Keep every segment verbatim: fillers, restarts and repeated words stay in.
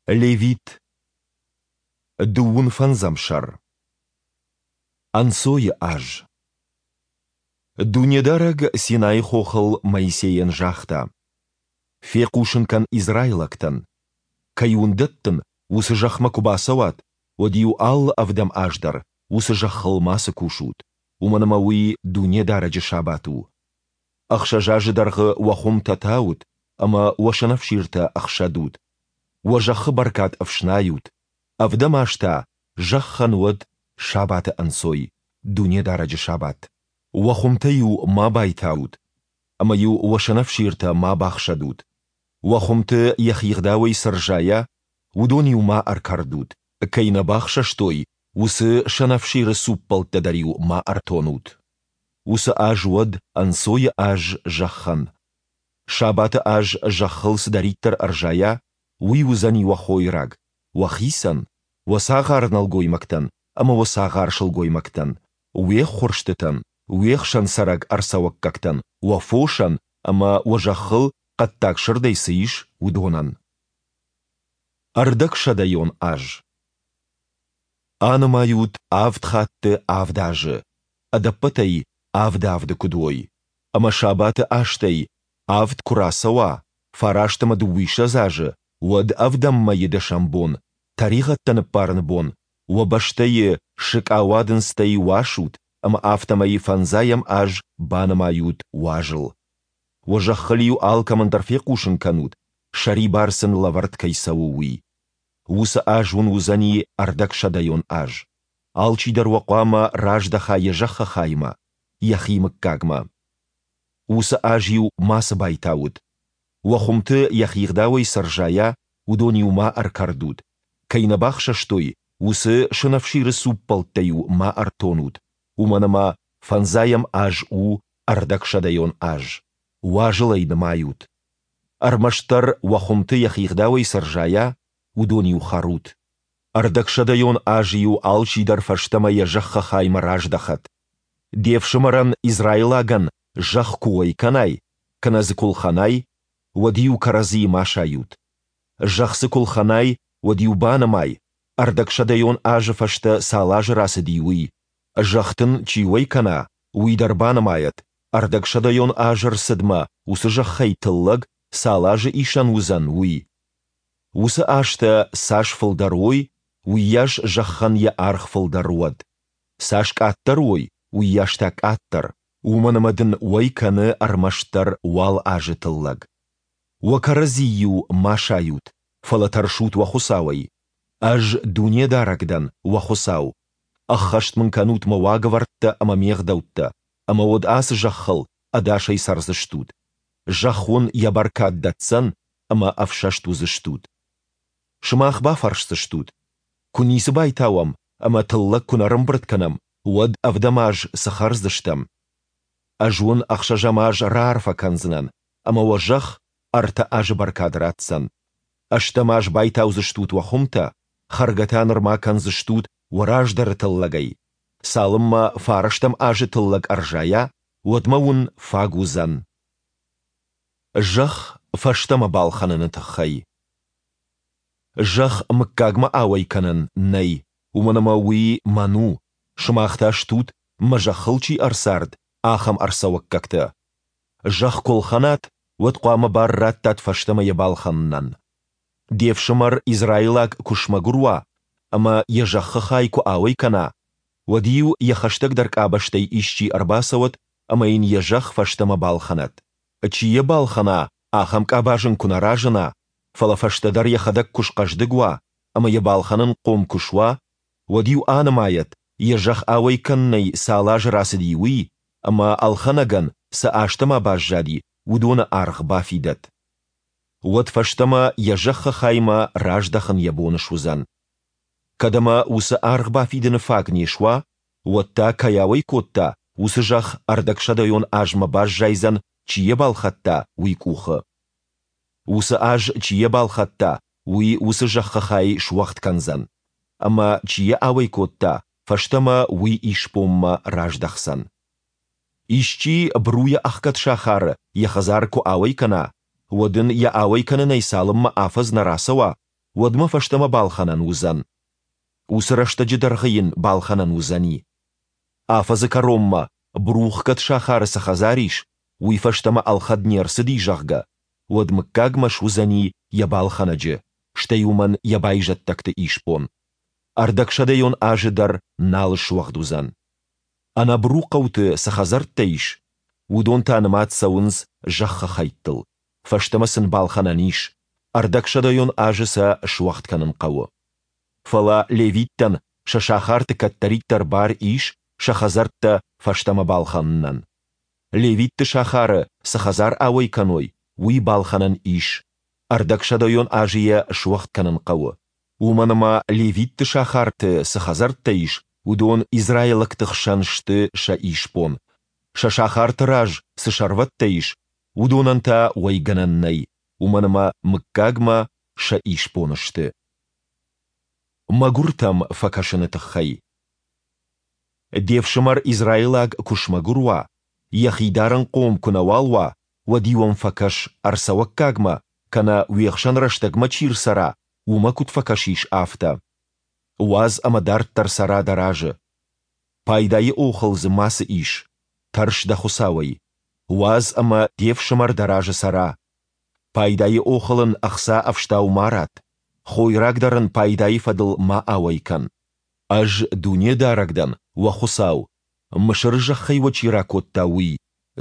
Левит. Дыууын фӕндзӕм сӕр. Ӕнцойы аз. Дунедарӕг Синайы хохыл Моисейӕн загъта: Фехъусын кӕн израилӕгтӕн: Кӕй уын дӕттын, уыцы зӕхмӕ куы бацӕуат, уӕд-иу алы ӕвдӕм аз дӕр уыцы зӕххыл мацы кусут, уымӕн ӕмӕ уый Дунедарӕджы сабат у. Ӕхсӕз азы дӕргъы уӕ хуымтӕ таут ӕмӕ уӕ сӕнӕфсиртӕ ӕхсӕдут, уӕ зӕххы бӕркад ӕфснайут, ӕвдӕм аз та зӕххӕн уӕд сабаты ӕнцой, Дунедарӕджы сабат. Уӕ хуымтӕ-иу ма байтаут ӕмӕ-иу уӕ сӕнӕфсиртӕ ма бахсӕдут. Уӕ хуымты йӕхигъдауӕй цы рзайа, уыдон-иу ма ӕркӕрдут, кӕй нӕ бахсӕстой, уыцы сӕнӕфсиры цуппӕлттӕ дӕр-иу ма ӕртонут. Уыцы аз уӕд ӕнцойы аз зӕххӕн. Сабаты аз зӕххыл цыдӕриддӕр ӕрзайа, уый уыдзӕни уӕ хойраг, уӕхицӕн, уӕ цагъар-нӕлгоймӕгтӕн ӕмӕ уӕ цагъар-сылгоймӕгтӕн, уе ххуырстытӕн, уе хсӕн цӕрӕг ӕрцӕуӕггӕгтӕн, уӕ фосӕн ӕмӕ уӕ зӕххыл хъӕддаг сырдӕй цы ис, уыдонӕн. Ӕрдӕгсӕдӕйон аз. Анымайут авд хатты авд азы, ӕдӕппӕтӕй авд авды куыд уой, ӕмӕ сабаты азтӕй авд куы рацӕуа, фараст ӕмӕ дыууиссӕдз азы, уӕд ӕвдӕм мӕйы дӕсӕм бон, тӕригъӕдтӕ ныббарыны бон, уӕ бӕстӕйы сыкъауадындзтӕй уасут ӕмӕ афтӕмӕй фӕндзайӕм аз банымайут уазыл. Уӕ зӕххыл-иу алкӕмӕн дӕр фехъусын кӕнут, сӕрибар сын лӕвӕрд кӕй цӕуы, уый. Уыцы аз уын уыдзӕни ӕрдӕгсӕдӕйон аз. Алчидӕр уӕ хъуамӕ раздӕха йӕ зӕххы хаймӕ, йӕхи мыггагмӕ. Уыцы аз-иу мацы байтаут. Уӕ хуымты йӕхигъдауӕй цы рзайа, уыдон-иу ма ӕркӕрдут, кӕй нӕ бахсӕстой, уыцы сӕнӕфсиры цуппӕлттӕ-иу ма ӕртонут, уымӕн ӕмӕ фӕндзайӕм аз у ӕрдӕгсӕдӕйон аз, уазыл ӕй нымайут. Ӕрмӕстдӕр уӕ хуымты йӕхигъдауӕй цы рзайа, уыдон-иу хӕрут. Ӕрдӕгсӕдӕйон азы-иу алчидӕр фӕстӕмӕ йӕ зӕххы хаймӕ раздӕхӕд. Де фсымӕрӕн, израилагӕн, зӕхх куы уӕй кӕнай, кӕнӕ дзы куы лхӕнай, уӕд-иу кӕрӕдзийы ма сайут. Зӕхх дзы куы лхӕнай, уӕд-иу банымай, ӕрдӕгсӕдӕйон азы фӕстӕ цал азы рацыди, уый. Зӕхх дын чи уӕй кӕна, уый дӕр банымайӕд, ӕрдӕгсӕдӕйон азы рцыдмӕ уыцы зӕххӕй тыллӕг цал азы исӕн уыдзӕн, уый. Уыцы азтӕ цас фылдӕр уой, уыйас зӕххӕн йӕ аргъ фылдӕр уӕд. Цас къаддӕр уой, уыйас та къаддӕр, уымӕн ӕмӕ дын уӕй кӕны ӕрмӕстдӕр уал азы тыллӕг. Уӕ кӕрӕдзи-иу ма сайут, фӕлӕ тӕрсут уӕ Хуыцауӕй. Ӕз Дунедарӕг дӕн, уӕ Хуыцау. Ӕххӕст мын кӕнут мӕ уагӕвӕрдтӕ ӕмӕ ме гъдӕуттӕ, ӕмӕ уӕд ацы зӕххыл ӕдасӕй цӕрдзыстут. Зӕхх уын йӕ бӕркад дӕтдзӕн, ӕмӕ ӕфсӕст уыдзыстут. Сымах бафӕрсдзыстут: Куы ницы байтауӕм ӕмӕ тыллӕг куы нӕ рымбырд кӕнӕм, уӕд ӕвдӕм аз цы хӕрдзыстӕм? Ӕз уын ӕхсӕзӕм аз раарфӕ кӕндзынӕн, ӕмӕ уӕ зӕхх ӕртӕ азы бӕркад ратдзӕн. Ӕстӕм аз байтаудзыстут уӕ хуымтӕ, хӕргӕ та нырма кӕндзыстут уӕ раздӕры тыллӕгӕй. Цалынмӕ фарӕстӕм азы тыллӕг ӕрзайа, уӕдмӕ уын фаг уыдзӕн. Зӕхх фӕстӕмӕ балхӕныны тыххӕй. Зӕхх мыггагмӕ ауӕй кӕнӕн нӕй, уымӕн ӕмӕ уый мӕн у, сымах та стут, мӕ зӕххыл чи ӕрцард, ахӕм ӕрцӕуӕггӕгтӕ. Зӕхх куы лхӕнат, уӕд хъуамӕ бар раттат фӕстӕмӕ йӕ балхӕнынӕн. Де фсымӕр израилаг куы смӕгуыр уа ӕмӕ йӕ зӕххы хай куы ауӕй кӕна, уӕд-иу йӕ хӕстӕгдӕр къабӕзтӕй исчи ӕрбацӕуӕд ӕмӕ йын йӕ зӕхх фӕстӕмӕ балхӕнӕд. Чи йӕ балхӕна, ахӕм къабаз ын куы нӕ разына, фӕлӕ фӕстӕдӕр йӕхӕдӕг куы схъӕздыг уа ӕмӕ йӕ балхӕнынхъом куы суа, уӕд-иу анымайӕд, йӕ зӕхх ауӕй кӕнынӕй цал азы рацыди, уый, ӕмӕ ӕлхӕнӕгӕн, цы азтӕ ма баззади, уыдоны аргъ бафидӕд. Уӕд фӕстӕмӕ йӕ зӕххы хаймӕ раздӕхын йӕ бон суыдзӕн. Кӕд ӕмӕ уыцы аргъ бафидыны фаг не суа, уӕд та, кӕй ауӕй кодта, уыцы зӕхх ӕрдӕгсӕдӕйон азмӕ баззайдзӕн, чи йӕ балхӕдта, уый къухы. Уыцы аз, чи йӕ балхӕдта, уый уыцы зӕххы хай суӕгъд кӕндзӕн, ӕмӕ, чи йӕ ауӕй кодта, фӕстӕмӕ уый исбонмӕ раздӕхдзӕн. Исчи бруйӕ ӕхгӕд сахары йӕ хӕдзар куы ауӕй кӕна, уӕд ын йӕ ауӕй кӕнынӕй цалынмӕ афӕдз нӕ рацӕуа, уӕдмӕ фӕстӕмӕ балхӕнӕн уыдзӕн. Уыцы рӕстӕджы дӕргъы йын балхӕнӕн уыдзӕни. Афӕдзы кӕронмӕ, брухгӕд сахары цы хӕдзар ис, уый фӕстӕмӕ ӕлхӕд не рцыди, зӕгъгӕ, уӕд мыггагмӕ суыдзӕни йӕ балхӕнӕджы, стӕй уымӕн йӕ байзӕддӕгты исбон. Ӕрдӕгсӕдӕйон азы дӕр нал суӕгъд уыдзӕн. Ӕнӕбру хъӕуты цы хӕдзӕрттӕ ис, уыдон та нымад цӕуынц зӕххы хӕйттыл, фӕстӕмӕ сын балхӕнӕн ис, ӕрдӕгсӕдӕйон азы сӕ суӕгъд кӕнын хъӕуы. Фӕлӕ левиттӕн сӕ сахарты кӕддӕриддӕр бар ис сӕ хӕдзӕрттӕ фӕстӕмӕ балхӕнынӕн. Левитты сахары цы хӕдзар ауӕй кӕной, уый балхӕнӕн ис, ӕрдӕгсӕдӕйон азы йӕ суӕгъд кӕнын хъӕуы. Уымӕн ӕмӕ левитты сахарты цы хӕдзӕрттӕ ис, уыдон израилӕгты хсӕн сты сӕ исбон. Сӕ сахарты раз цы сӕрвӕттӕ ис, уыдонӕн та уӕйгӕнӕн нӕй, уымӕн ӕмӕ мыггагмӕ сӕ исбон сты. Мӕгуыртӕм фӕкӕсыны тыххӕй. Де фсымӕр израилаг куы смӕгуыр уа, йӕхи дарынхъом куы нӕуал уа, уӕд-иу ӕм фӕкӕс, ӕрцӕуӕггагмӕ кӕнӕ уе хсӕн рӕстӕгмӕ чи рцӕра, уымӕ куыд фӕкӕсис, афтӕ. Уадз ӕмӕ дарддӕр цӕра дӕ разы. Пайдайы охыл дзы мацы ис, тӕрс дӕ Хуыцауӕй. Уадз ӕмӕ де фсымӕр дӕ разы цӕра. Пайдайы охыл ын ӕхца ӕфстау ма ратт, хойраг дӕр ын пайдайы фӕдыл ма ауӕй кӕн. Ӕз Дунедарӕг дӕн, уӕ Хуыцау, Мысыры зӕххӕй уӕ чи ракодта, уый,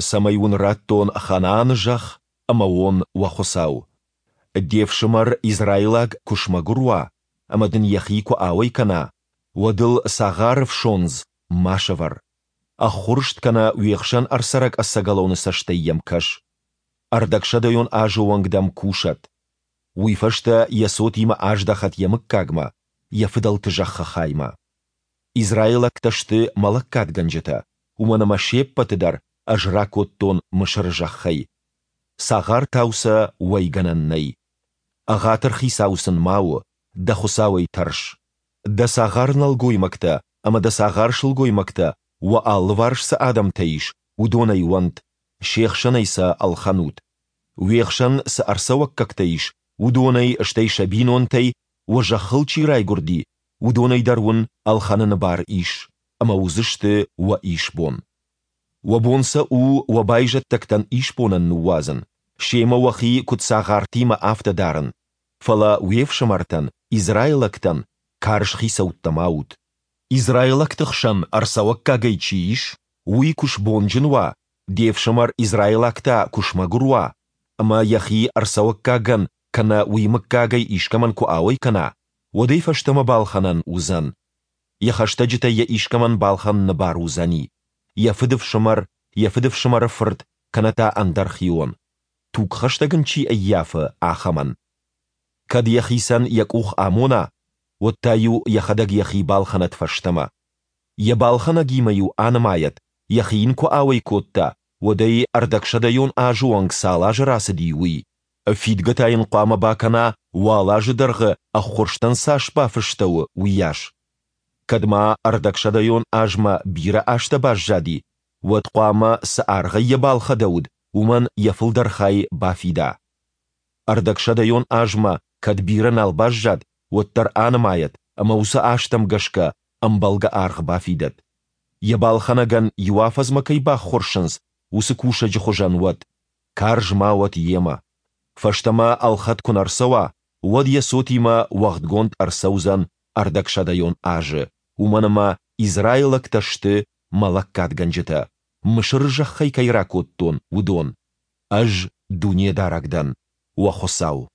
цӕмӕй уын раттон Ханааны зӕхх ӕмӕ уон уӕ Хуыцау. Де фсымӕр израилаг куы смӕгуыр уа ӕмӕ дын йӕхи куы ауӕй кӕна, уӕд ыл цагъары фсондз ма сӕвӕр. Ӕххуырст кӕнӕ уе хсӕн ӕрцӕрӕг ӕцӕгӕлоны цӕстӕй йӕм кӕс. Ӕрдӕгсӕдӕйон азы онг дӕм кусӕд. Уый фӕстӕ йӕ цотимӕ аздӕхӕд йӕ мыггагмӕ, йӕ фыдӕлты зӕххы хаймӕ. Израилӕгтӕ сты мӕ лӕггадгӕнджытӕ, уымӕн ӕмӕ се ппӕты дӕр ӕз ракодтон Мысыры зӕххӕй. Цагъартау сӕ уӕйгӕнӕн нӕй. Ӕгъатыр хицау сын ма у, дӕ Хуыцауӕй тӕрс. Дӕ цагъар-нӕлгоймӕгтӕ ӕмӕ дӕ цагъар-сылгоймӕгтӕ, уӕ алыварс цы адӕмтӕ ис, уыдонӕй уӕнт, се хсӕнӕй сӕ ӕлхӕнут. Уе хсӕн цы ӕрцӕуӕггӕгтӕ ис, уыдонӕй, стӕй сӕ бинонтӕй, уӕ зӕххыл чи райгуырди, уыдонӕй дӕр уын ӕлхӕныны бар ис, ӕмӕ уыдзысты уӕ исбон. Уӕ бон сӕ у уӕ байзӕддӕгтӕн исбонӕн ныууадзын, семӕ уӕхи куыд цагъартимӕ, афтӕ дарын, фӕлӕ уе фсымӕртӕн, израилӕгтӕн, карз хицӕуттӕ ма ут. Израилӕгты хсӕн ӕрцӕуӕггагӕй чи ис, уый куы сбонджын уа, де фсымӕр израилаг та куы смӕгуыр уа, ӕмӕ йӕхи ӕрцӕуӕггагӕн кӕнӕ уый мыггагӕй искӕмӕн куы ауӕй кӕна, уӕд ӕй фӕстӕмӕ балхӕнӕн уыдзӕн. Йӕ хӕстӕджытӕй йӕ искӕмӕн балхӕныны бар уыдзӕни, йӕ фыдыфсымӕр, йӕ фыдыфсымӕры фырт кӕнӕ та ӕндӕр хион, тугхӕстӕг ын чи ӕййафы, ахӕмӕн. Кӕд йӕхицӕн йӕ къух амона, уӕд та-иу йӕхӕдӕг йӕхи балхӕнӕд фӕстӕмӕ. Йӕ балхӕнӕгимӕ-иу анымайӕд, йӕхи йын куы ауӕй кодта, уӕдӕй ӕрдӕгсӕдӕйон азы онг цал азы рацыди, уый. Фидгӕ та йын хъуамӕ бакӕна, уал азы дӕргъы ӕххуырстӕн цас бафыстӕуы, уыйас. Кӕд ма ӕрдӕгсӕдӕйон азмӕ бирӕ азтӕ баззади, уӕд хъуамӕ, цы аргъӕй йӕ балхӕдӕуыд, уымӕн йӕ фылдӕр хай бафида. Ӕрдӕгсӕдӕйон азмӕ кӕд бирӕ нал баззад, уӕддӕр анымайӕд ӕмӕ уыцы азтӕм гӕсгӕ ӕмбӕлгӕ аргъ бафидӕд. Йӕ балхӕнӕгӕн иу афӕдзмӕ кӕй баххуырсынц, уыцы кусӕджы хуызӕн уӕд, карз ма уӕд йемӕ. Фӕстӕмӕ ӕлхӕд куы нӕ рцӕуа, уӕд йӕ цотимӕ уӕгъдгонд ӕрцӕудзӕн ӕрдӕгсӕдӕйон азы, уымӕн ӕмӕ израилӕгтӕ сты мӕ лӕггадгӕнджытӕ, Мысыры зӕххӕй кӕй ракодтон, уыдон. Ӕз Дунедарӕг дӕн, уӕ Хуыцау.